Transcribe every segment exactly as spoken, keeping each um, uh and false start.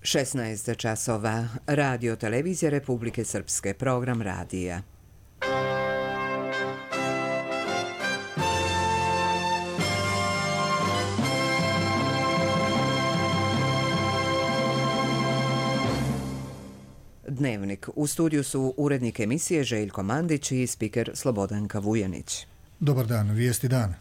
šesnaest časova. Radio televizija Republike Srpske. Program radija. Dnevnik. U studiju su urednik emisije Željko Mandić i spiker Slobodanka Vujanić. Dobar dan, vijesti dan.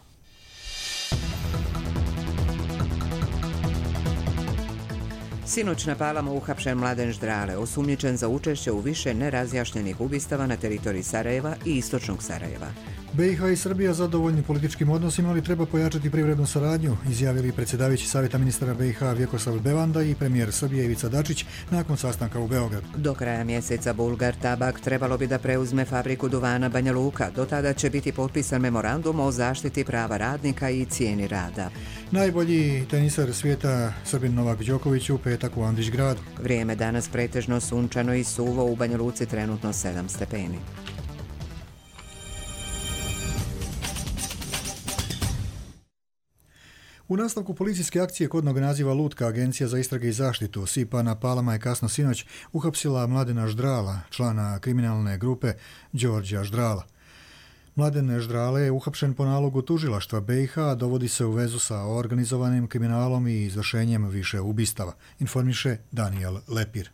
Sinoć na Palama uhapšen Mladen Ždrale, osumnjičen za učešće u više nerazjašnjenih ubistava na teritoriji Sarajeva i istočnog Sarajeva. B i H i Srbija zadovoljni političkim odnosima, ali treba pojačati privrednu saradnju, izjavili predsjedavajući Savjeta ministara B i H Vjekoslav Bevanda i premijer Srbije Ivica Dačić nakon sastanka u Beogradu. Do kraja mjeseca Bulgar Tabak trebalo bi da preuzme fabriku duvana Banja Luka. Do tada će biti potpisan memorandum o zaštiti prava radnika i cijeni rada. Najbolji tenisar svijeta Srbin Novak Đoković u petak u Andrićgradu. Vrijeme danas pretežno sunčano i suvo, u Banja Luci trenutno sedam stepeni. U nastavku policijske akcije kodnog naziva Lutka, Agencija za istrage i zaštitu S I P-a na Palama je kasno sinoć uhapsila Mladena Ždrala, člana kriminalne grupe Đorđa Ždrala. Mladen Ždrale je uhapšen po nalogu tužilaštva B i H, dovodi se u vezu sa organizovanim kriminalom i izvršenjem više ubistava, informiše Daniel Lepir.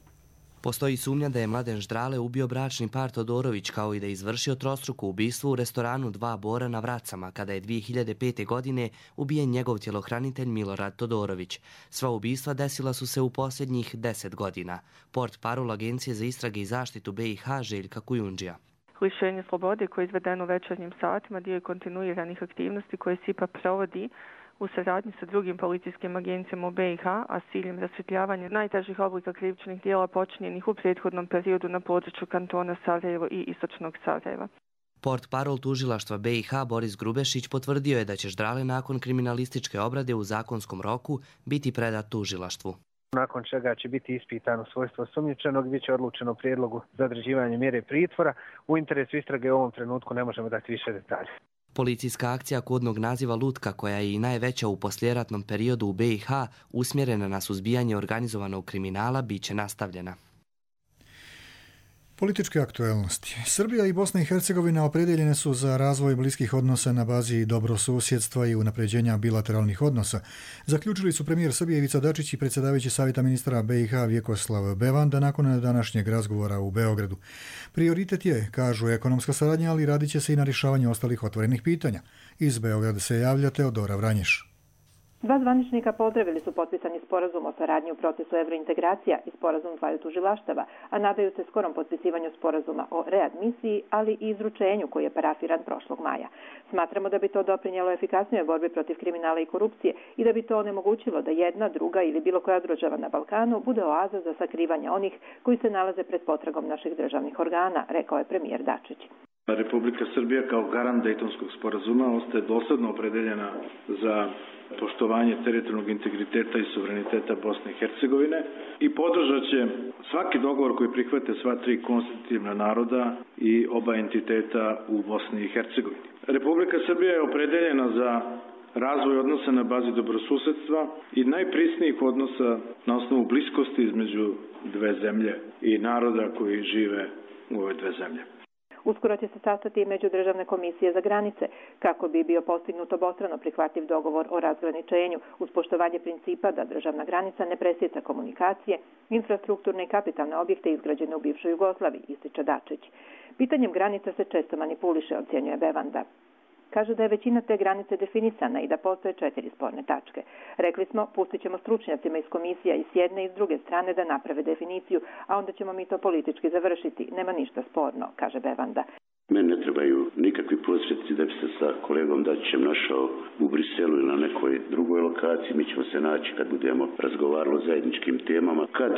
Postoji sumnja da je Mladen Ždrale ubio bračni par Todorović, kao i da je izvršio trostruko ubistvo u restoranu Dva Bora na Vracama, kada je dvije hiljade pete. godine ubijen njegov tjelohranitelj Milorad Todorović. Sva ubistva desila su se u posljednjih deset godina. Port parol Agencije za istrage i zaštitu B i H Željka Kujundžija. Lišenje slobode koje je izvedeno u večernjim satima dio je kontinuiranih aktivnosti koje S I P A provodi u saradnji sa drugim policijskim agencijama u B i H, a s ciljem rasvjetljavanja najtežih oblika krivičnih djela počinjenih u prethodnom periodu na području kantona Sarajevo i istočnog Sarajeva. Port parol tužilaštva B i H Boris Grubešić potvrdio je da će Ždrale nakon kriminalističke obrade u zakonskom roku biti predat tužilaštvu. Nakon čega će biti ispitano svojstvo osumnjičenog, bit će odlučeno prijedlogu za određivanje mjere pritvora. U interesu istrage u ovom trenutku ne možemo dati više detalja. Policijska akcija kodnog naziva Lutka, koja je i najveća u poslijeratnom periodu u B i H, usmjerena na suzbijanje organizovanog kriminala, bit će nastavljena. Političke aktuelnosti. Srbija i Bosna i Hercegovina opredjeljene su za razvoj bliskih odnosa na bazi dobrosusjedstva i unapređenja bilateralnih odnosa. Zaključili su premijer Srbije Ivica Dačić i predsjedavajući Savjeta ministara B i H Vjekoslav Bevanda nakon današnjeg razgovora u Beogradu. Prioritet je, kažu, ekonomska saradnja, ali radit će se i na rješavanju ostalih otvorenih pitanja. Iz Beograda se javlja Teodora Vranješ. Dva zvaničnika pozdravili su potpisani sporazum o saradnji u procesu evrointegracija i sporazum dvaju tužilaštava, a nadaju se skorom potpisivanju sporazuma o readmisiji, ali i izručenju koji je parafiran prošlog maja. Smatramo da bi to doprinijelo efikasnijoj borbi protiv kriminala i korupcije i da bi to onemogućilo da jedna, druga ili bilo koja država na Balkanu bude oaza za sakrivanje onih koji se nalaze pred potragom naših državnih organa, rekao je premijer Dačić. Republika Srbija kao garant Dejtonskog sporazuma ostaje dosadno opredeljena za poštovanje teritorijalnog integriteta i suvereniteta Bosne i Hercegovine i podržat će svaki dogovor koji prihvate sva tri konstitutivna naroda i oba entiteta u Bosni i Hercegovini. Republika Srbija je opredeljena za razvoj odnosa na bazi dobrosusedstva i najprisnijih odnosa na osnovu bliskosti između dve zemlje i naroda koji žive u ove dve zemlje. Uskoro će se sastati međudržavne komisije za granice kako bi bio postignut obostrano prihvatljiv dogovor o razgraničenju uz poštovanje principa da državna granica ne presjeca komunikacije, infrastrukturne i kapitalne objekte izgrađene u bivšoj Jugoslaviji, ističe Dačić. Pitanjem granica se često manipuliše, ocjenjuje Bevanda. Kaže da je većina te granice definisana i da postoje četiri sporne tačke. Rekli smo, pustit ćemo stručnjacima iz komisija i s jedne i s druge strane da naprave definiciju, a onda ćemo mi to politički završiti. Nema ništa sporno, kaže Bevanda. Meni ne trebaju nikakvi prosvjetci da bi se sa kolegom Dačićem našao u Briselu ili na nekoj drugoj lokaciji. Mi ćemo se naći kad budemo razgovarali o zajedničkim temama. Kad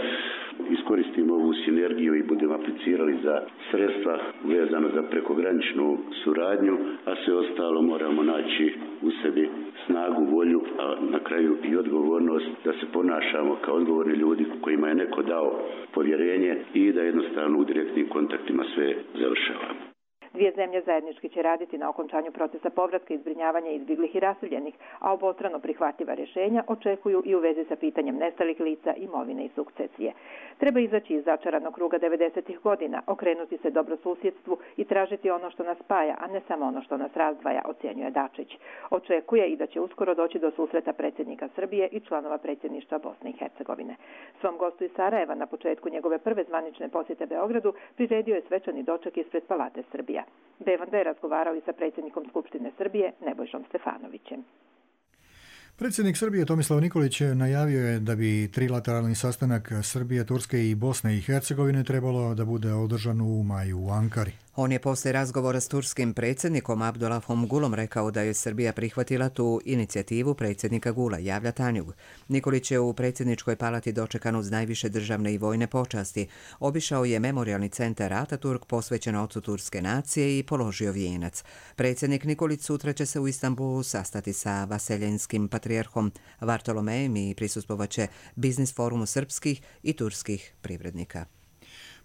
iskoristimo ovu sinergiju i budemo aplicirali za sredstva vezano za prekograničnu suradnju, a sve ostalo moramo naći u sebi snagu, volju, a na kraju i odgovornost da se ponašamo kao odgovorni ljudi kojima je neko dao povjerenje i da jednostavno u direktnim kontaktima sve završavamo. Dvije zemlje zajednički će raditi na okončanju procesa povratka i zbrinjavanja izbjeglih i raseljenih, a obostrano prihvatljiva rješenja očekuju i u vezi sa pitanjem nestalih lica, imovine i sukcesije. Treba izaći iz začaranog kruga devedesetih godina, okrenuti se dobrosusjedstvu i tražiti ono što nas spaja, a ne samo ono što nas razdvaja, ocjenjuje Dačić. Očekuje i da će uskoro doći do susreta predsjednika Srbije i članova predsjedništva Bosne i Hercegovine. Svom gostu iz Sarajeva na početku njegove prve zvanične posjete Beogradu priredio je svečani doček ispred Palate Srbija. Bevanda je razgovarao i sa predsjednikom Skupštine Srbije Nebojšom Stefanovićem. Predsjednik Srbije Tomislav Nikolić najavio je da bi trilateralni sastanak Srbije, Turske i Bosne i Hercegovine trebalo da bude održan u maju u Ankari. On je poslije razgovora s turskim predsjednikom Abdullahom Gulom rekao da je Srbija prihvatila tu inicijativu predsjednika Gula, javlja Tanjug. Nikolić je u predsjedničkoj palati dočekan uz najviše državne i vojne počasti. Obišao je memorijalni centar Ataturk posvećen ocu turske nacije i položio vijenac. Predsjednik Nikolić sutra će se u Istanbulu sastati sa vaseljenskim patrijarhom Vartolomejem i prisustvovaće biznis forumu srpskih i turskih privrednika.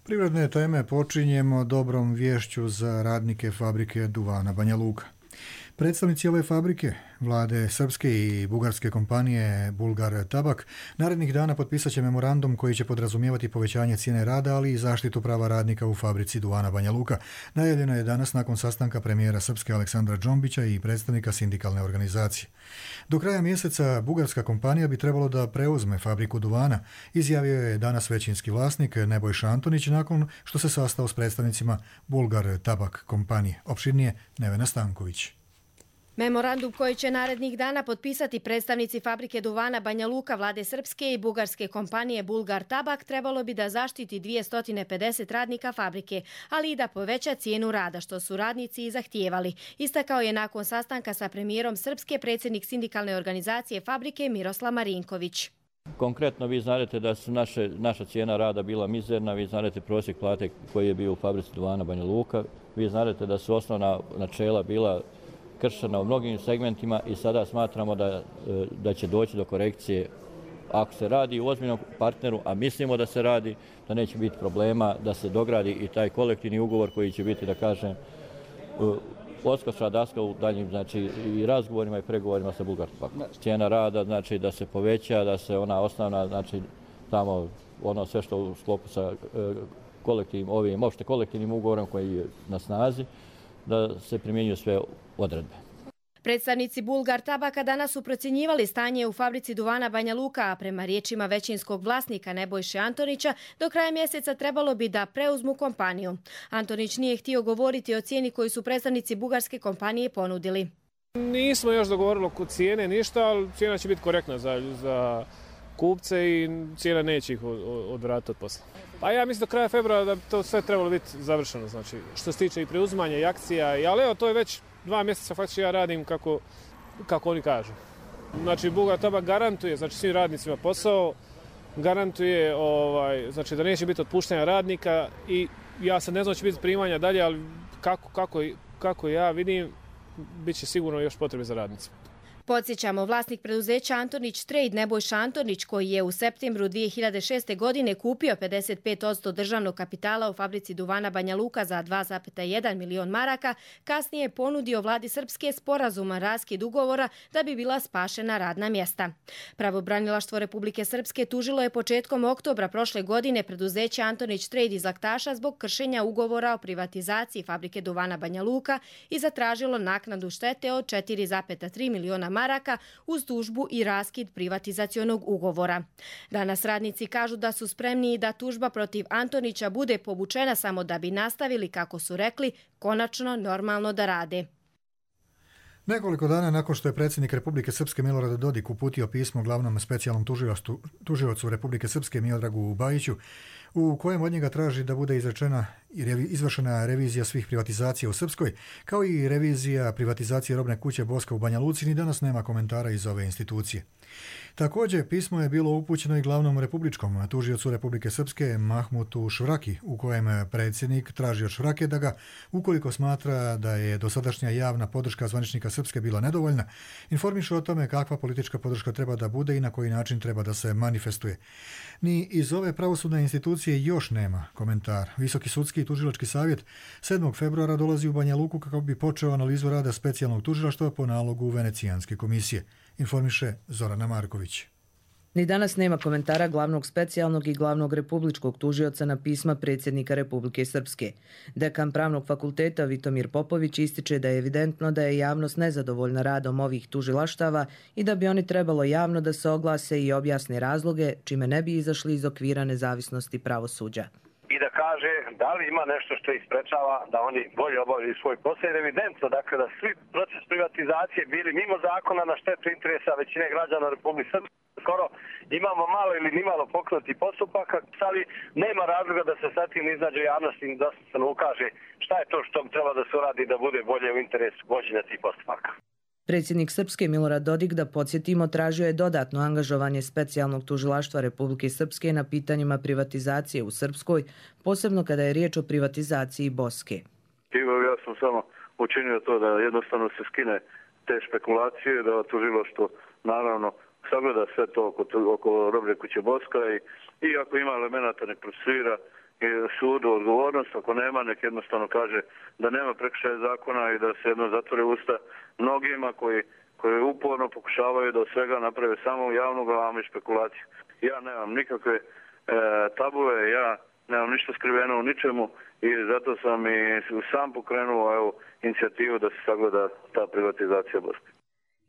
Privredne teme počinjemo dobrom vješću za radnike fabrike duvana Banja Luka. Predstavnici ove fabrike, vlade srpske i bugarske kompanije Bulgar Tabak, narednih dana potpisat će memorandum koji će podrazumijevati povećanje cijene rada, ali i zaštitu prava radnika u fabrici duvana Banja Luka. Najavljeno je danas nakon sastanka premijera Srpske Aleksandra Džombića i predstavnika sindikalne organizacije. Do kraja mjeseca bugarska kompanija bi trebalo da preuzme fabriku duvana, izjavio je danas većinski vlasnik Nebojša Antonić nakon što se sastao s predstavnicima Bulgar Tabak kompanije. Opširnije Nevena Stanković. Memorandum koji će narednih dana potpisati predstavnici fabrike duvana Banja Luka, vlade srpske i bugarske kompanije Bulgar Tabak trebalo bi da zaštiti dvjesto pedeset radnika fabrike, ali i da poveća cijenu rada, što su radnici i zahtijevali. Istakao je nakon sastanka sa premijerom Srpske predsjednik sindikalne organizacije fabrike Miroslav Marinković. Konkretno vi znate da su naše, naša cijena rada bila mizerna, vi znate prosjek plate koji je bio u fabrici duvana Banja Luka, vi znate da su osnovna načela bila kršena u mnogim segmentima i sada smatramo da, da će doći do korekcije. Ako se radi u ozbiljnom partneru, a mislimo da se radi, da neće biti problema da se dogradi i taj kolektivni ugovor koji će biti, da kažem, odskočna daska u daljnjim, znači, i razgovorima i pregovorima sa Bulgarskom. Cijena rada, znači, da se poveća, da se ona osnovna, znači, tamo ono sve što u sklopu sa kolektivnim, ovim, opšte kolektivnim ugovorom koji je na snazi, da se primjenjuju sve odredbe. Predstavnici Bulgar Tabaka danas su procjenjivali stanje u fabrici duvana Banja Luka, a prema riječima većinskog vlasnika Nebojše Antonića, do kraja mjeseca trebalo bi da preuzmu kompaniju. Antonić nije htio govoriti o cijeni koju su predstavnici bugarske kompanije ponudili. Nismo još dogovorili oko cijene ništa, ali cijena će biti korektna za, za kupce i cijena neće ih odvratiti od posla. Pa ja mislim do kraja februara da bi to sve trebalo biti završeno, znači što se tiče i preuzimanja i akcija, ali evo to je već dva mjeseca faktički ja radim kako, kako oni kažu. Znači Bulgar Tabak garantuje, znači svim radnicima posao, garantuje ovaj, znači da neće biti otpuštanja radnika i ja sad ne znam će biti primanja dalje, ali kako, kako, kako ja vidim, bit će sigurno još potrebe za radnicima. Podsjećamo, vlasnik preduzeća Antonić Trade Nebojša Antonić, koji je u septembru dvije hiljade šeste. godine kupio pedeset pet posto državnog kapitala u fabrici duvana Banja Luka za dva zarez jedan milion maraka, kasnije je ponudio vladi Srpske sporazuman raskid ugovora da bi bila spašena radna mjesta. Pravobranilaštvo Republike Srpske tužilo je početkom oktobra prošle godine preduzeće Antonić Trade iz Laktaša zbog kršenja ugovora o privatizaciji fabrike duvana Banja Luka i zatražilo naknadu štete od četiri zarez tri miliona maraka uz tužbu i raskid privatizacionog ugovora. Danas radnici kažu da su spremni da tužba protiv Antonića bude povučena samo da bi nastavili, kako su rekli, konačno normalno da rade. Nekoliko dana nakon što je predsjednik Republike Srpske Milorad Dodik uputio pismo glavnom specijalnom tužiocu Republike Srpske Miodragu Bajiću, u kojem od njega traži da bude izrečena i izvršena revizija svih privatizacija u Srpskoj, kao i revizija privatizacije robne kuće Boska u Banja Luci, ni danas nema komentara iz ove institucije. Također, pismo je bilo upućeno i glavnom republičkom tužiocu Republike Srpske Mahmutu Švraki, u kojem predsjednik traži od Švrake da ga, ukoliko smatra da je dosadašnja javna podrška zvaničnika Srpske bila nedovoljna, informiše o tome kakva politička podrška treba da bude i na koji način treba da se manifestuje. Ni iz ove pravosudne institucije još nema komentar. Visoki sudski sudski tužilački savjet sedmog februara dolazi u Banja Luku kako bi počeo analizu rada specijalnog tužilaštva po nalogu Venecijanske komisije, informiše Zorana Marković. Ni danas nema komentara glavnog specijalnog i glavnog republičkog tužioca na pisma predsjednika Republike Srpske. Dekan Pravnog fakulteta Vitomir Popović ističe da je evidentno da je javnost nezadovoljna radom ovih tužilaštava i da bi oni trebalo javno da se oglase i objasne razloge, čime ne bi izašli iz okvira nezavisnosti pravosuđa. I da kaže da li ima nešto što isprečava da oni bolje obavljaju svoj posao. Jer evidentno, dakle, da svi proces privatizacije bili mimo zakona na štetu interesa većine građana Republike Srpske. Skoro imamo malo ili nimalo pokrenuti postupaka, ali nema razloga da se sa tim izađe javnosti i da se ukaže šta je to što treba da se uradi da bude bolje u interesu vođenja tih postupaka. Predsjednik Srpske Milorad Dodik, da podsjetimo, tražio je dodatno angažovanje specijalnog tužilaštva Republike Srpske na pitanjima privatizacije u Srpskoj, posebno kada je riječ o privatizaciji Boske. Ja sam samo učinio to da jednostavno se skine te špekulacije, da tužilaštvo naravno sagleda sve to oko, oko roblje kuće Boska i, i ako ima elemenata nek procesuira sudu odgovornost, ako nema nek jednostavno kaže da nema prekršaja zakona i da se jedno zatvore usta mnogima koji, koji uporno pokušavaju da od svega naprave samo javnu glavu i špekulaciju. Ja nemam nikakve e, tabue, ja nemam ništa skriveno u ničemu i zato sam i sam pokrenuo evo, inicijativu da se sagleda ta privatizacija Boske.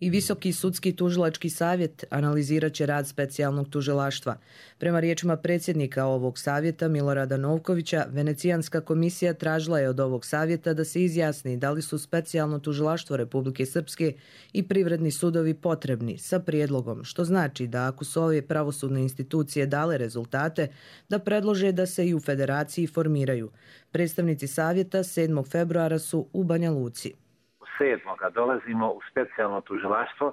I Visoki sudski tužilački savjet analizirat će rad specijalnog tužilaštva. Prema riječima predsjednika ovog savjeta Milorada Novkovića, Venecijanska komisija tražila je od ovog savjeta da se izjasni da li su specijalno tužilaštvo Republike Srpske i privredni sudovi potrebni sa prijedlogom, što znači da ako su ove pravosudne institucije dale rezultate, da predlože da se i u federaciji formiraju. Predstavnici savjeta sedmog februara su u Banja Luci. sedmoga dolazimo u specijalno tužilaštvo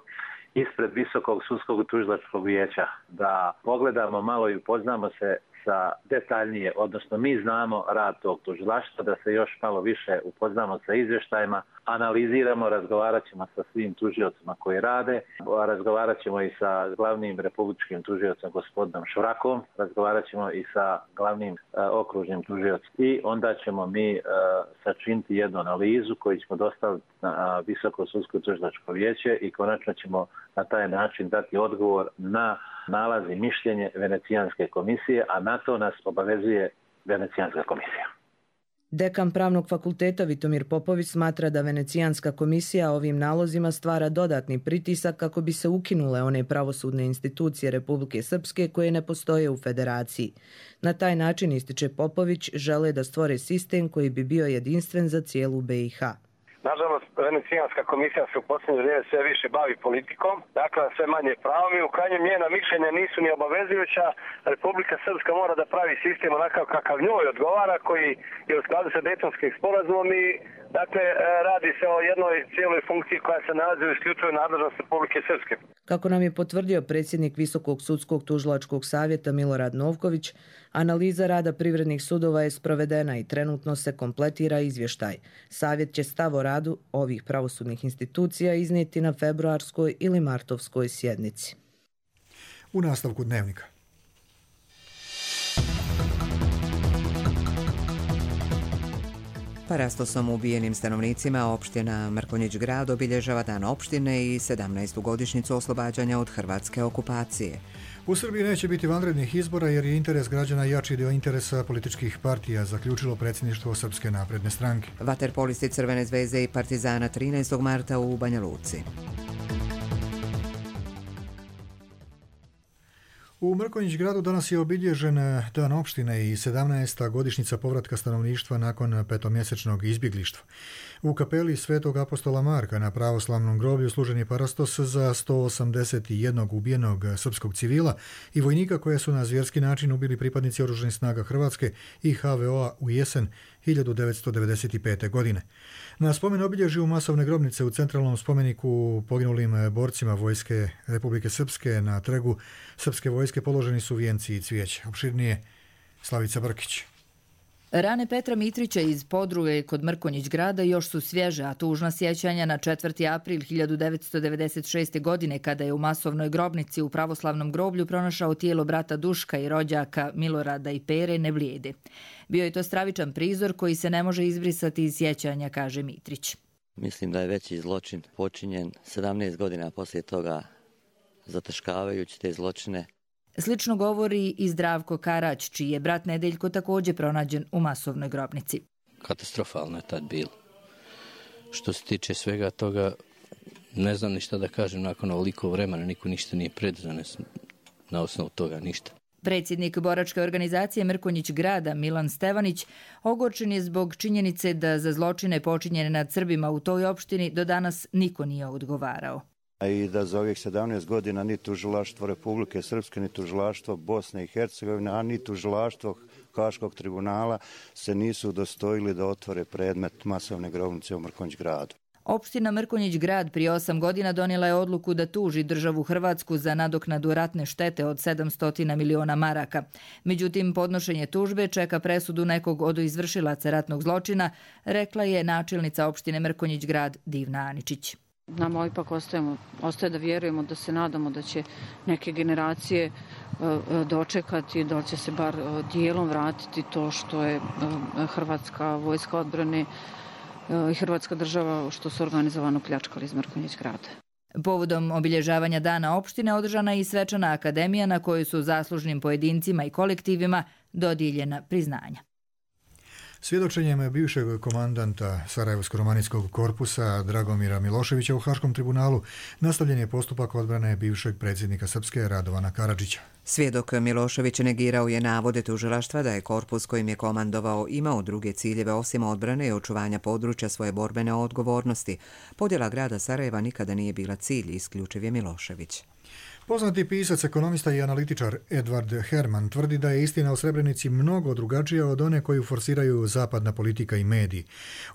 ispred Visokog sudskog tužilačkog vijeća da pogledamo malo i upoznamo se sa detaljnije, odnosno mi znamo rad tog tužilaštva, da se još malo više upoznamo sa izvještajima, analiziramo, razgovarat ćemo sa svim tužiocima koji rade, razgovarat ćemo i sa glavnim republičkim tužiocem gospodinom Švrakom, razgovarat ćemo i sa glavnim uh, okružnim tužiocem i onda ćemo mi uh, sačiniti jednu analizu koju ćemo dostaviti na uh, Visoko sudsko tužilačko vijeće i konačno ćemo na taj način dati odgovor na nalaz i mišljenje Venecijanske komisije, a na to nas obavezuje Venecijanska komisija. Dekan Pravnog fakulteta Vitomir Popović smatra da Venecijanska komisija ovim nalozima stvara dodatni pritisak kako bi se ukinule one pravosudne institucije Republike Srpske koje ne postoje u federaciji. Na taj način, ističe Popović, žele da stvore sistem koji bi bio jedinstven za cijelu B i H. Nažalost, Venecijanska komisija se u posljednje vrijeme sve više bavi politikom, dakle sve manje pravom i u krajnjem njena mišljenja nisu ni obavezujuća. Republika Srpska mora da pravi sistem onakav kakav njoj odgovara, koji je u skladu sa Dejtonskim sporazumom i dakle radi se o jednoj cijeloj funkciji koja se nalazi u isključivoj nadležnosti Republike Srpske. Kako nam je potvrdio predsjednik Visokog sudskog tužilačkog savjeta Milorad Novković, analiza rada privrednih sudova je sprovedena i trenutno se kompletira izvještaj. Savjet će stav o radu ovih pravosudnih institucija iznijeti na februarskoj ili martovskoj sjednici. U nastavku dnevnika. Parastosom ubijenim stanovnicima opština Mrkonjić grad obilježava dan opštine i sedamnaestu godišnjicu oslobađanja od hrvatske okupacije. U Srbiji neće biti vanrednih izbora jer je interes građana jači dio interesa političkih partija, zaključilo predsjedništvo Srpske napredne stranke. Vaterpolisti Crvene zvezde i Partizana trinaestog marta u Banja Luci. U Mrkonjić gradu danas je obilježen dan opštine i sedamnaesta godišnjica povratka stanovništva nakon petomjesečnog izbjeglištva. U kapeli Svetog apostola Marka na pravoslavnom groblju služen je parastos za sto osamdeset jednog ubijenog srpskog civila i vojnika koje su na zvjerski način ubili pripadnici oružanih snaga Hrvatske i H V O-a u jesen hiljadu devetsto devedeset pete. godine. Na spomen obilježju masovne grobnice u centralnom spomeniku poginulim borcima vojske Republike Srpske na trgu Srpske vojske položeni su vijenci i cvijeće. Opširnije Slavica Brkić. Rane Petra Mitrića iz Podruge kod Mrkonjić grada još su svježe, a tužna sjećanja na četvrti april hiljadu devetsto devedeset šeste. godine kada je u masovnoj grobnici u pravoslavnom groblju pronašao tijelo brata Duška i rođaka Milorada i Pere ne blijede. Bio je to stravičan prizor koji se ne može izbrisati iz sjećanja, kaže Mitrić. Mislim da je veći zločin počinjen sedamnaest godina poslije toga, zataškavajući te zločine. Slično govori i Zdravko Karać, čiji je brat Nedeljko također pronađen u masovnoj grobnici. Katastrofalno je tad bilo. Što se tiče svega toga, ne znam ništa da kažem nakon ovoliko vremena, niko ništa nije predzanes na osnovu toga, ništa. Predsjednik boračke organizacije Mrkonjić grada Milan Stevanić ogorčen je zbog činjenice da za zločine počinjene nad Srbima u toj opštini do danas niko nije odgovarao. I da za ovih sedamnaest godina ni tužilaštvo Republike Srpske, ni tužilaštvo Bosne i Hercegovine, a ni tužilaštvo Haškog tribunala se nisu udostojili da otvore predmet masovne grobnice u Mrkonjić gradu. Opština Mrkonjić grad prije osam godina donijela je odluku da tuži državu Hrvatsku za nadoknadu ratne štete od sedamsto miliona maraka. Međutim, podnošenje tužbe čeka presudu nekog od izvršilaca ratnog zločina, rekla je načelnica opštine Mrkonjić grad Divna Aničić. Nama ipak ostajemo, ostaje da vjerujemo, da se nadamo da će neke generacije dočekati, da će se bar dijelom vratiti to što je Hrvatska vojska odbrane i Hrvatska država što su organizovano pljačkali iz Mrkonjić grada. Povodom obilježavanja dana opštine održana je i svečana akademija na kojoj su zaslužnim pojedincima i kolektivima dodijeljena priznanja. Svjedočenjem bivšeg komandanta Sarajevsko-romanijskog korpusa Dragomira Miloševića u Haškom tribunalu nastavljen je postupak odbrane bivšeg predsjednika Srpske Radovana Karadžića. Svjedok Milošević negirao je navode tužilaštva da je korpus kojim je komandovao imao druge ciljeve osim odbrane i očuvanja područja svoje borbene odgovornosti. Podjela grada Sarajeva nikada nije bila cilj, isključiv je Milošević. Poznati pisac, ekonomista i analitičar Edvard Herman tvrdi da je istina o Srebrenici mnogo drugačija od one koju forsiraju zapadna politika i mediji.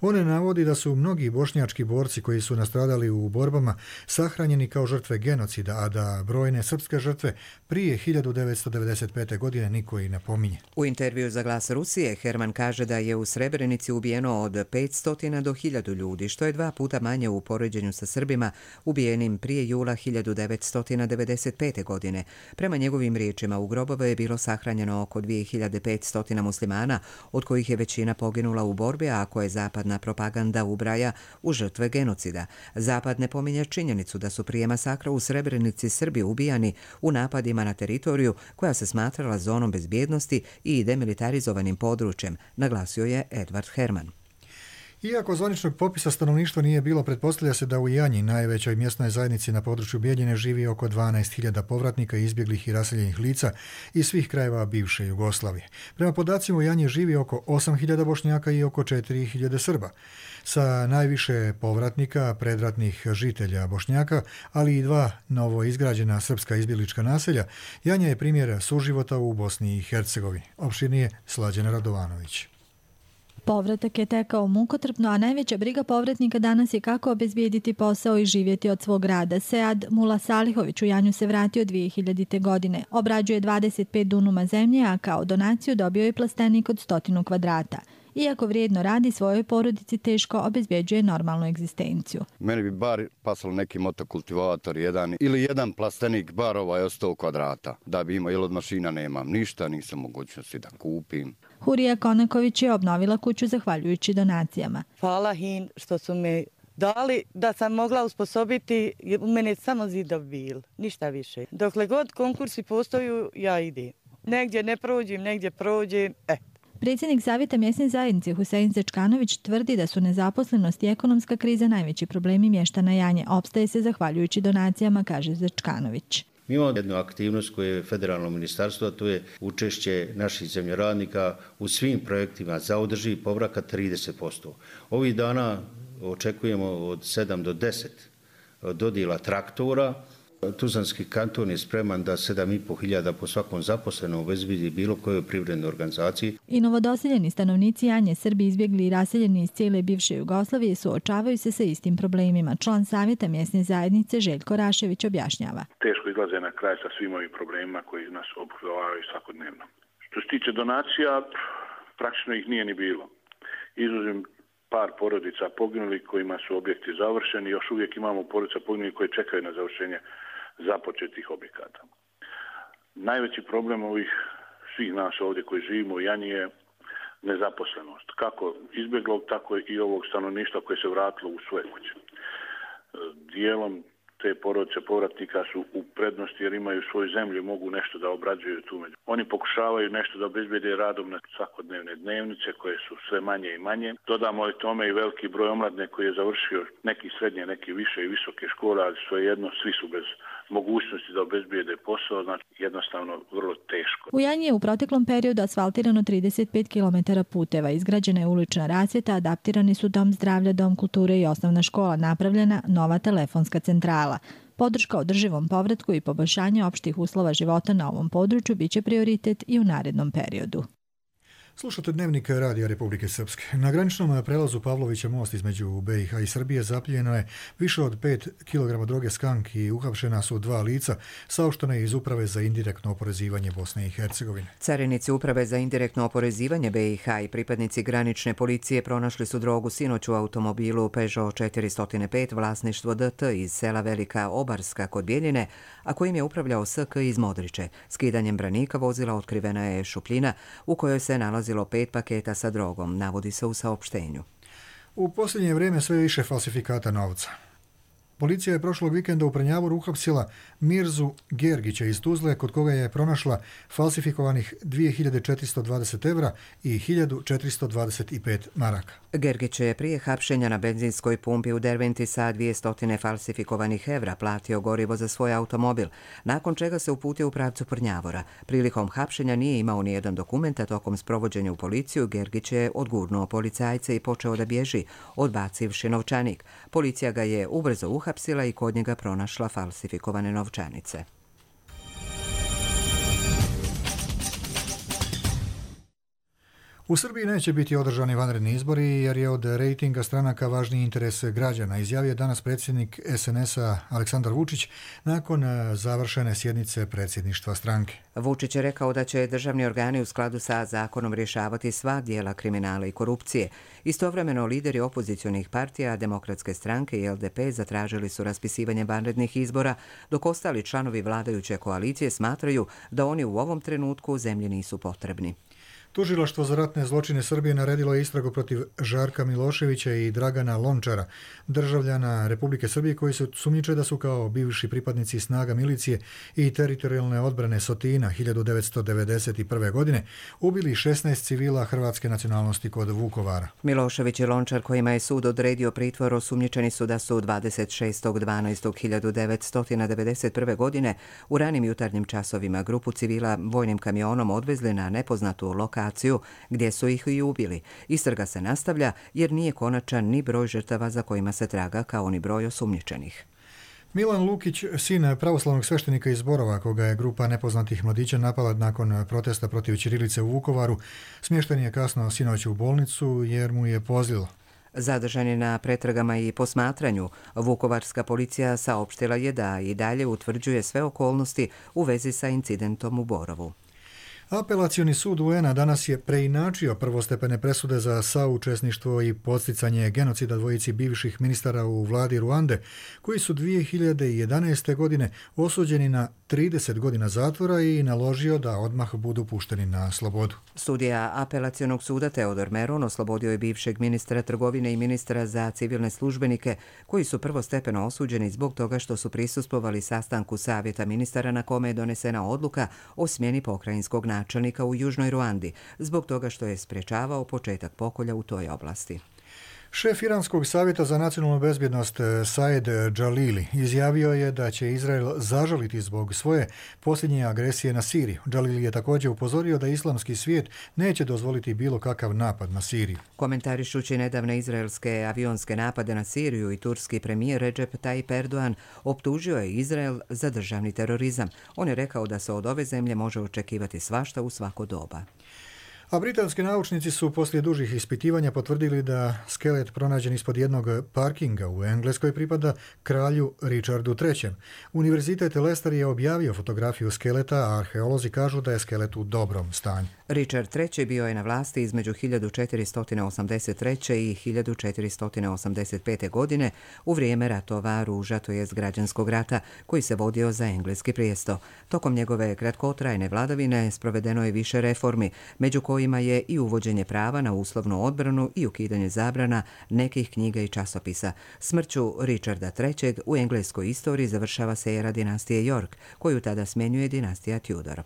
On navodi da su mnogi bošnjački borci koji su nastradali u borbama sahranjeni kao žrtve genocida, a da brojne srpske žrtve prije hiljadu devetsto devedeset pete. godine niko i ne pominje. U intervju za Glas Rusije Herman kaže da je u Srebrenici ubijeno od petsto do hiljadu ljudi, što je dva puta manje u poređenju sa Srbima ubijenim prije jula hiljadu devetsto devedeset pete. godine. Prema njegovim riječima u grobove je bilo sahranjeno oko dvije hiljade petsto muslimana, od kojih je većina poginula u borbi, a koje zapadna propaganda ubraja u žrtve genocida. Zapad ne pominje činjenicu da su prije masakra u Srebrenici Srbi ubijani u napadima na teritoriju koja se smatrala zonom bezbjednosti i demilitarizovanim područjem, naglasio je Edvard Herman. Iako zvaničnog popisa stanovništva nije bilo, pretpostavlja se da u Janji, najvećoj mjesnoj zajednici na području Bijeljine, živi oko dvanaest hiljada povratnika, izbjeglih i raseljenih lica iz svih krajeva bivše Jugoslavije. Prema podacima u Janji živi oko osam hiljada Bošnjaka i oko četiri hiljade Srba. Sa najviše povratnika, predratnih žitelja Bošnjaka, ali i dva novo izgrađena srpska izbjeglička naselja, Janja je primjer suživota u Bosni i Hercegovini. Opširnije Slađana Radovanović. Povratak je tekao mukotrpno, a najveća briga povratnika danas je kako obezbijediti posao i živjeti od svog rada. Sead Mula Salihović u Janju se vratio dvije hiljadite. godine. Obrađuje dvadeset pet dunuma zemlje, a kao donaciju dobio je plastenik od stotinu kvadrata. Iako vrijedno radi, svojoj porodici teško obezbjeđuje normalnu egzistenciju. Meni bi bar pasalo neki motokultivator jedan ili jedan plastenik bar ovaj od sto kvadrata da bi imao, jer od mašina nemam ništa, nisam mogućnosti da kupim. Hurija Konaković je obnovila kuću zahvaljujući donacijama. Hvala im što su me dali da sam mogla usposobiti, u mene samo zidov bil, ništa više. Dokle god konkursi postoju, ja idem. Negdje ne prođem, negdje prođem, eh. Predsjednik Savjeta mjesne zajednice Husein Zečkanović tvrdi da su nezaposlenost i ekonomska kriza najveći problemi mještana Janje. Opstaje se zahvaljujući donacijama, kaže Zečkanović. Mi imamo jednu aktivnost koju je federalno ministarstvo, a to je učešće naših zemljoradnika u svim projektima za održivi povratak trideset posto. Ovih dana očekujemo od sedam do deset dodjela traktora. Tuzlanski kanton je spreman da sedam i pol hiljada po svakom zaposlenom obezbedi bilo kojoj privrednoj organizaciji. I novodoseljeni stanovnici Janje, Srbi izbjegli i raseljeni iz cijele bivše Jugoslavije, suočavaju se sa istim problemima. Član Savjeta mjesne zajednice Željko Rašević objašnjava. Teško izlaze na kraj sa svim ovim problemima koji nas obuhvataju svakodnevno. Što se tiče donacija, praktično ih nije ni bilo. Izuzim par porodica poginulih kojima su objekti završeni, još uvijek imamo porodica poginulih koje čekaju na završenje započetih objekata. Najveći problem ovih svih nas ovdje koji živimo u Janji je nezaposlenost. Kako izbjeglog, tako i ovog stanovništva koje se vratilo u svoje kuće. Dijelom te porodice povratnika su u prednosti jer imaju svoju zemlju i mogu nešto da obrađuju tu. Oni pokušavaju nešto da obezbede radom na svakodnevne dnevnice koje su sve manje i manje. Dodamo li tome i veliki broj omladne koji je završio neki srednje, neki više i visoke škole, ali svejedno svi su bez mogućnosti da obezbijede posao, znači jednostavno vrlo teško. U Janji je u proteklom periodu asfaltirano trideset pet kilometara puteva, izgrađena je ulična rasvjeta, adaptirani su dom zdravlja, dom kulture i osnovna škola, napravljena nova telefonska centrala. Podrška održivom povratku i poboljšanje opštih uslova života na ovom području biće prioritet i u narednom periodu. Slušate Dnevnik Radija Republike Srpske. Na graničnom prelazu Pavlovića most između B i H i Srbije zapljeno je više od pet kilograma droge skank i uhapšena su dva lica, saopšteno je iz Uprave za indirektno oporezivanje Bosne i Hercegovine. Carinici Uprave za indirektno oporezivanje B i H i pripadnici granične policije pronašli su drogu sinoć u automobilu Peugeot četiristo pet vlasništvo D T iz sela Velika Obarska kod Bijeljine, a kojim je upravljao S K iz Modriče. Skidanjem branika vozila otkrivena je šupljina u kojoj se nalazi pet paketa sa drogom, navodi se u saopštenju. U posljednje vrijeme sve više falsifikata novca. Policija je prošlog vikenda u Prnjavoru uhapsila Mirzu Gergića iz Tuzle, kod koga je pronašla falsifikovanih dvije hiljade četiristo dvadeset evra i hiljadu četiristo dvadeset pet maraka. Gergić je prije hapšenja na benzinskoj pumpi u Derventi sa dvjesto falsifikovanih evra platio gorivo za svoj automobil, nakon čega se uputio u pravcu Prnjavora. Prilikom hapšenja nije imao nijedan dokument, a tokom sprovođenja u policiju Gergić je odgurnuo policajce i počeo da bježi, odbacivši novčanik. Policija ga je ubrzo uhapsila i kod njega pronašla falsifikovane novčanice. U Srbiji neće biti održani vanredni izbori jer je od rejtinga stranaka važniji interes građana, izjavio danas predsjednik S N S-a Aleksandar Vučić nakon završene sjednice predsjedništva stranke. Vučić je rekao da će državni organi u skladu sa zakonom rješavati sva dijela kriminala i korupcije. Istovremeno lideri opozicionih partija, Demokratske stranke i L D P zatražili su raspisivanje vanrednih izbora, dok ostali članovi vladajuće koalicije smatraju da oni u ovom trenutku zemlji nisu potrebni. Tužilaštvo za ratne zločine Srbije naredilo je istragu protiv Žarka Miloševića i Dragana Lončara, državljana Republike Srbije koji su sumnjiče da su kao bivši pripadnici snaga milicije i teritorijalne odbrane Sotina hiljadu devetsto devedeset prve. godine ubili šesnaest civila hrvatske nacionalnosti kod Vukovara. Milošević i Lončar, kojima je sud odredio pritvor, osumnjičeni su da su dvadeset šestog dvanaestog hiljadu devetsto devedeset prve. godine u ranim jutarnjim časovima grupu civila vojnim kamionom odvezli na nepoznatu lokaciju gdje su ih i ubili. Istraga se nastavlja jer nije konačan ni broj žrtava za kojima se traga kao ni broj osumnjičenih. Milan Lukić, sin pravoslavnog sveštenika iz Borova, koga je grupa nepoznatih mladića napala nakon protesta protiv ćirilice u Vukovaru, smješten je kasno sinoć u bolnicu jer mu je pozlilo. Zadržan je na pretragama i posmatranju. Vukovarska policija saopštila je da i dalje utvrđuje sve okolnosti u vezi sa incidentom u Borovu. Apelacioni sud U N A danas je preinačio prvostepene presude za saučesništvo i podsticanje genocida dvojici bivših ministara u vladi Ruande, koji su dvije hiljade jedanaeste. godine osuđeni na trideset godina zatvora i naložio da odmah budu pušteni na slobodu. Sudija apelacionog suda Teodor Meron oslobodio je bivšeg ministra trgovine i ministra za civilne službenike, koji su prvostepeno osuđeni zbog toga što su prisustvovali sastanku Savjeta ministara na kome je donesena odluka o smjeni pokrajinskog načelnika u Južnoj Ruandi, zbog toga što je sprečavao početak pokolja u toj oblasti. Šef Iranskog savjeta za nacionalnu bezbjednost Saed Džalili izjavio je da će Izrael zažaliti zbog svoje posljednje agresije na Siriju. Džalili je također upozorio da islamski svijet neće dozvoliti bilo kakav napad na Siriju. Komentarišući nedavne izraelske avionske napade na Siriju i turski premijer Recep Tayyip Erdogan optužio je Izrael za državni terorizam. On je rekao da se od ove zemlje može očekivati svašta u svako doba. A britanski naučnici su poslije dužih ispitivanja potvrdili da skelet pronađen ispod jednog parkinga u Engleskoj pripada kralju Richardu trećem. Univerzitet Leicester je objavio fotografiju skeleta, a arheolozi kažu da je skelet u dobrom stanju. Richard treći bio je na vlasti između hiljadu četiristo osamdeset treće i hiljadu četiristo osamdeset pete. godine u vrijeme ratova Ruža, to jest građanskog rata, koji se vodio za engleski prijesto. Tokom njegove kratkotrajne vladavine sprovedeno je više reformi, među kojima je i uvođenje prava na uslovnu odbranu i ukidanje zabrana nekih knjiga i časopisa. Smrću Richarda trećeg u engleskoj istoriji završava se era dinastije York, koju tada smjenjuje dinastija Tudor.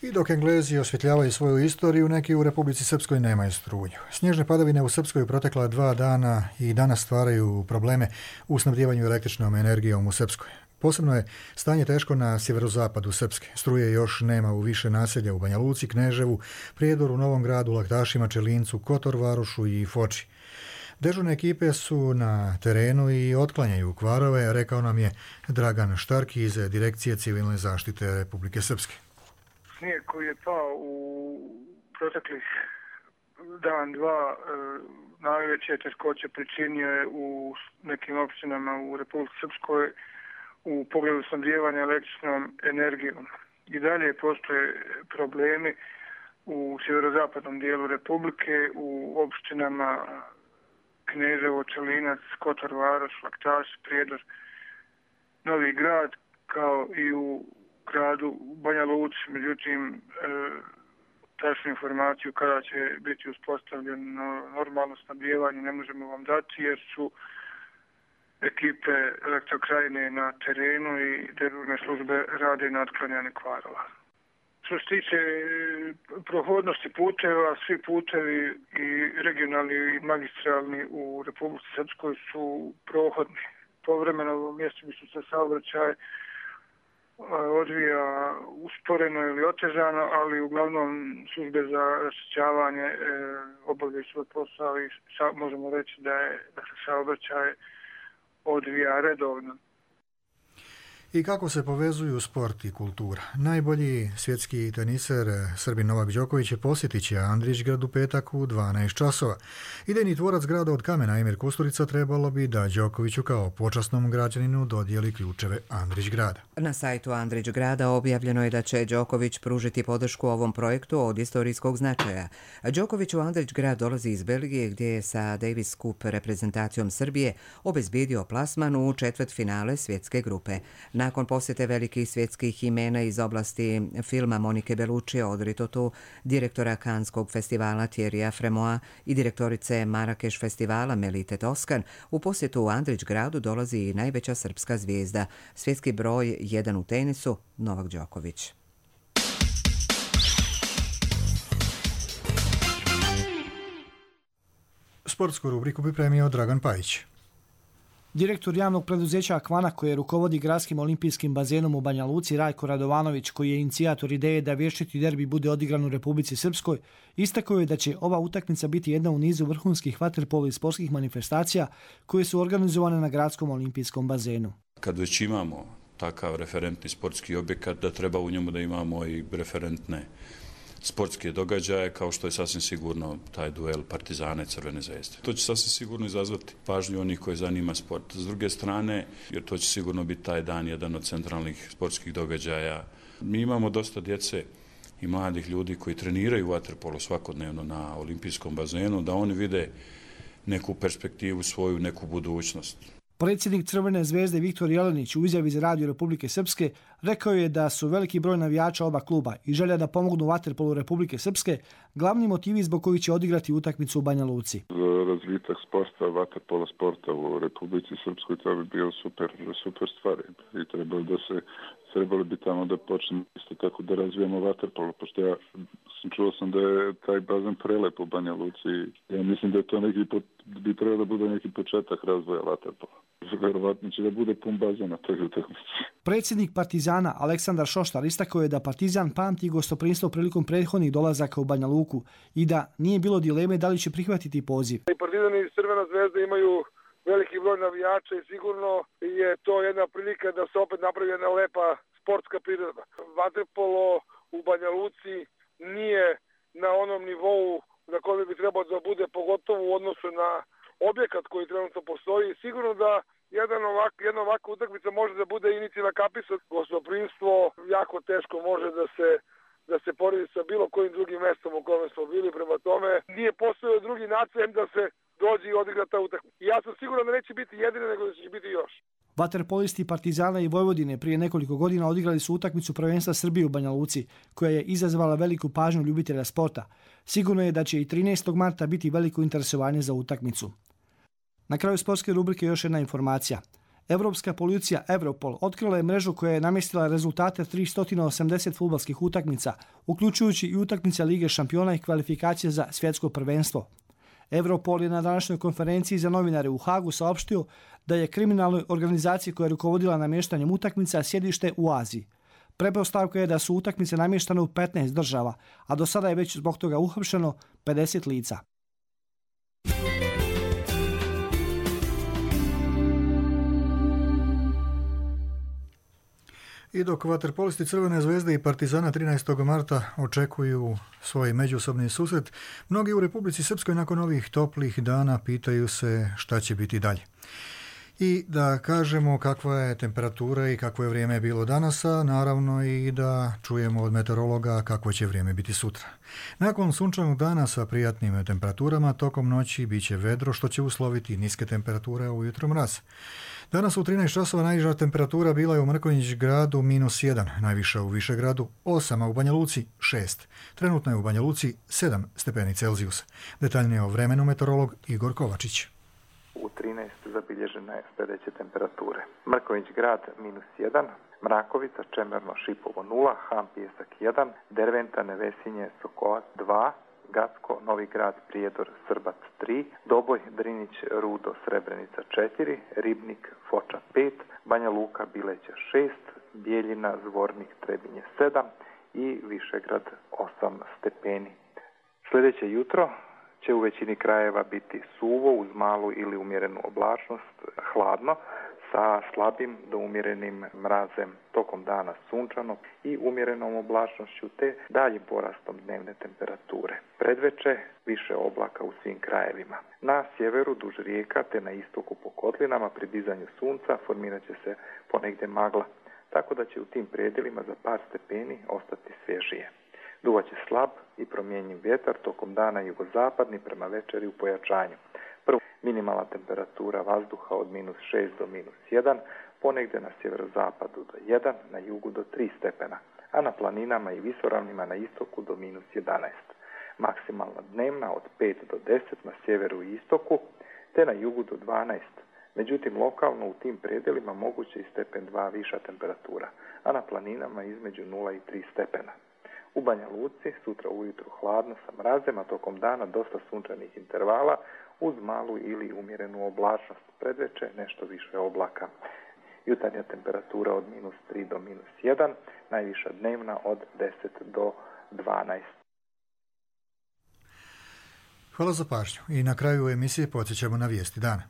I dok Englezi osvjetljavaju svoju istoriju, neki u Republici Srpskoj nemaju struju. Snježne padavine u Srpskoj protekla dva dana i danas stvaraju probleme u snabdijevanju električnom energijom u Srpskoj. Posebno je stanje teško na sjeverozapadu Srpske. Struje još nema u više naselja u Banja Luci, Kneževu, Prijedoru, Novom Gradu, Laktašima, Čelincu, Kotorvarošu i Foči. Dežurne ekipe su na terenu i otklanjaju kvarove, rekao nam je Dragan Štarki iz Direkcije civilne zaštite Republike Srpske. Snijeg koji je pao u proteklih dan, dva, e, najveće teškoće pričinio je u nekim općinama u Republici Srpskoj u pogledu snabdijevanja električnom energijom. I dalje postoje problemi u sjeverozapadnom dijelu Republike, u opštinama Kneževo, Čelinac, Kotor Varoš, Laktaš, Prijedor, Novi Grad, kao i u gradu Banja Luci. Međutim, e, tačnu informaciju kada će biti uspostavljeno normalno snabdijevanje ne možemo vam dati, jer su ekipe Elektrokrajine na terenu i dežurne službe rade na otklanjanju kvarova. Što se tiče prohodnosti puteva, svi putevi i regionalni i magistralni u Republici Srpskoj su prohodni. Povremeno u mjestu bi se saobraćaj odvija usporeno ili otežano, ali uglavnom službe za raščišćavanje e, obavljaju svoj posao i sa, možemo reći da, je, da se saobraćaj odvija redovno. I kako se povezuju sport i kultura? Najbolji svjetski teniser Srbin Novak Đoković je posjetit će Andrićgrad u petak u dvanaest časova. Idejni tvorac grada od kamena Emir Kusturica trebalo bi da Đokoviću kao počasnom građaninu dodijeli ključeve Andrićgrada. Na sajtu Andrićgrada objavljeno je da će Đoković pružiti podršku ovom projektu od istorijskog značaja. Đoković u Andrićgrad dolazi iz Belgije, gdje je sa Davis Cup reprezentacijom Srbije obezbijedio plasman u četvrtfinale svjetske grupe. Nakon posjete velikih svjetskih imena iz oblasti filma Monike Bellucci Odritotu, direktora Kanskog festivala Thierrya Fremoa i direktorice Marakeš festivala Melite Toskan, u posjetu u Andrićgradu dolazi i najveća srpska zvijezda, svjetski broj jedan u tenisu, Novak Đoković. Sportsku rubriku pripremio Dragan Pajić. Direktor javnog preduzeća Akvana, koje rukovodi gradskim olimpijskim bazenom u Banja Luci, Rajko Radovanović, koji je inicijator ideje da vječiti derbi bude odigran u Republici Srpskoj, istakao je da će ova utakmica biti jedna u nizu vrhunskih vaterpolo i sportskih manifestacija koje su organizovane na gradskom olimpijskom bazenu. Kad već imamo takav referentni sportski objekat, da treba u njemu da imamo i referentne sportske događaje, kao što je sasvim sigurno taj duel Partizana i Crvene zvezde. To će sasvim sigurno izazvati pažnju onih koji zanima sport. S druge strane, jer to će sigurno biti taj dan jedan od centralnih sportskih događaja. Mi imamo dosta djece i mladih ljudi koji treniraju vaterpolo svakodnevno na olimpijskom bazenu, da oni vide neku perspektivu svoju, neku budućnost. Predsjednik Crvene zvezde Viktor Jelenić u izjavi za Radio Republike Srpske rekao je da su veliki broj navijača oba kluba i želja da pomognu vaterpolu Republike Srpske glavni motivi zbog kojih će odigrati utakmicu u Banja Luci. Razvitak sporta, vaterpola sporta u Republici Srpskoj, to bi bio super, super stvar i trebalo da se trebali bi tamo da počnemo isto tako da razvijemo vaterpolo, pošto ja sam čuo sam da je taj bazen prelep u Banja Luci. Ja mislim da je to neki, bi trebalo da bude neki početak razvoja vaterpola. Verovatno će da bude pun bazen na toj utakmici. Predsjednik Partizana Aleksandar Šoštar istakao je da Partizan pamti gostoprinstvo prilikom prethodnih dolazaka u Banja Luku i da nije bilo dileme da li će prihvatiti poziv. I Partizan i Crvena zvezda imaju veliki broj navijača i sigurno je to jedna prilika da se opet napravi jedna lepa sportska priroda. Vaterpolo u Banja Luci nije na onom nivou na kojem bi trebao da bude, pogotovo u odnosu na objekat koji trenutno postoji. Sigurno da jedan ovak, jedna ovakva utakmica može da bude inicijalna kapisa. Gostoprimstvo jako teško može da se da se poredi sa bilo kojim drugim mestom u kome smo bili. Prema tome, nije postojao drugi način da se dođe i odigra ta utakmica. I ja sam siguran da neće biti jedina, nego da će biti još. Vaterpolisti Partizana i Vojvodine prije nekoliko godina odigrali su utakmicu prvenstva Srbije u Banja Luci, koja je izazvala veliku pažnju ljubitelja sporta. Sigurno je da će i trinaestog marta biti veliko interesovanje za utakmicu. Na kraju sportske rubrike još jedna informacija. Evropska policija Europol otkrila je mrežu koja je namjestila rezultate tristo osamdeset fudbalskih utakmica, uključujući i utakmice Lige šampiona i kvalifikacije za svjetsko prvenstvo. Europol je na današnjoj konferenciji za novinare u Hagu saopštio da je kriminalnoj organizaciji koja je rukovodila namještanjem utakmica sjedište u Aziji. Pretpostavka je da su utakmice namještane u petnaest država, a do sada je već zbog toga uhapšeno pedeset lica. I dok vaterpolisti Crvene zvezde i Partizana trinaestog marta očekuju svoj međusobni susret, mnogi u Republici Srpskoj nakon ovih toplih dana pitaju se šta će biti dalje. I da kažemo kakva je temperatura i kakvo je vrijeme bilo danas, a naravno i da čujemo od meteorologa kakvo će vrijeme biti sutra. Nakon sunčanog dana sa prijatnim temperaturama, tokom noći bit će vedro, što će usloviti niske temperature, a ujutro mraz. Danas u trinaest časova najniža temperatura bila je u Mrkonjić gradu minus jedan, najviša u Višegradu osam, a u Banja Luci šest. Trenutno je u Banja Luci sedam stepeni Celzijusa. Detaljnije o vremenu meteorolog Igor Kovačić. U trinaest zabilježene je sljedeće temperature. Mrkonjić grad minus jedan, Mrakovica, Čemerno, Šipovo nula, Han, Pijesak jedan, Derventa, Nevesinje, Sokolac dva, Gacko, Novi grad, Prijedor, Srbac tri, Doboj, Drinić, Rudo, Srebrenica četiri, Ribnik, Foča pet, Banja Luka, Bileća šest, Bijeljina, Zvornik, Trebinje sedam i Višegrad osam stepeni. Sljedeće jutro će u većini krajeva biti suvo uz malu ili umjerenu oblačnost, hladno, sa slabim do umjerenim mrazem, tokom dana sunčano i umjerenom oblačnošću te daljim porastom dnevne temperature. Predveče više oblaka u svim krajevima. Na sjeveru duž rijeka te na istoku po kotlinama pri dizanju sunca formirat će se ponegdje magla, tako da će u tim predjelima za par stepeni ostati svježije. Duvaće slab i promjenjiv vjetar, tokom dana jugozapadni, prema večeri u pojačanju. Prvo, minimalna temperatura vazduha od minus šest do minus jedan, ponegdje na sjeverozapadu do jedan, na jugu do tri stepena, a na planinama i visoravnima na istoku do minus jedanaest. Maksimalna dnevna od pet do deset na sjeveru i istoku, te na jugu do dvanaest. Međutim, lokalno u tim predjelima moguće i stepen dva viša temperatura, a na planinama između nula i tri stepena. U Banja Luci sutra ujutru hladno sa mrazem, a tokom dana dosta sunčanih intervala uz malu ili umjerenu oblačnost. Predveče nešto više oblaka. Jutarnja temperatura od minus tri do minus jedan, najviša dnevna od deset do dvanaest. Hvala za pažnju i na kraju emisije podsjećamo na vijesti dana.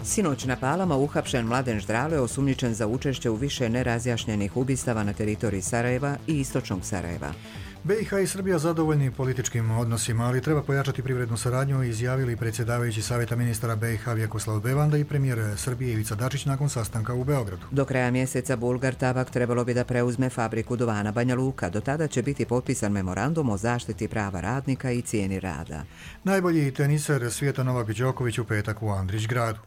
Sinoć na Palama uhapšen Mladen Ždrale, osumnjičen za učešće u više nerazjašnjenih ubistava na teritoriji Sarajeva i istočnog Sarajeva. B i H i Srbija zadovoljni političkim odnosima, ali treba pojačati privrednu saradnju, izjavili predsjedavajući Savjeta ministara B i H Vjekoslav Bevanda i premijer Srbije Ivica Dačić nakon sastanka u Beogradu. Do kraja mjeseca Bulgar Tabak trebalo bi da preuzme fabriku duvana Banja Luka. Do tada će biti potpisan memorandum o zaštiti prava radnika i cijeni rada. Najbolji teniser svijeta Novak Đoković u petak u Andrić gradu.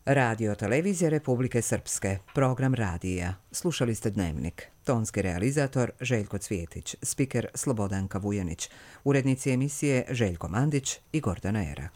Radio Televizija Republike Srpske, program radija. Slušali ste Dnevnik. Tonski realizator Željko Cvjetić, spiker Slobodanka Vujanić, urednici emisije Željko Mandić i Gordana Erak.